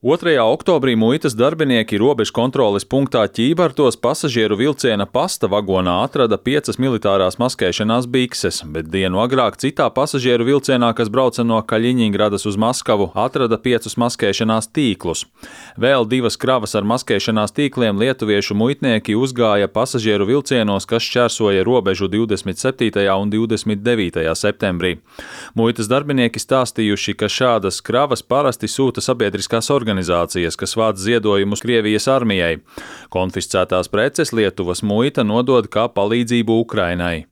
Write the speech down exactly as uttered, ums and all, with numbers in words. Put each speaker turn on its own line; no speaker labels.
otrajā oktobrī muitas darbinieki robežu kontroles punktā Ķībartos pasažieru vilciena pasta vagonā atrada piecas militārās maskēšanās bikses, bet dienu agrāk citā pasažieru vilcienā, kas brauca no Kaļiņingradas uz Maskavu, atrada piecus maskēšanās tīklus. Vēl divas kravas ar maskēšanās tīkliem lietuviešu muitnieki uzgāja pasažieru vilcienos, kas šķērsoja robežu divdesmit septītajā un divdesmit devītajā septembrī. Muitas darbinieki stāstījuši, ka šādas kravas parasti sūta sabiedriskās organizācijas. organizācijas, kas vāc ziedojumus Krievijas armijai. Konfiscētās preces Lietuvas muita nodod kā palīdzību Ukrainai.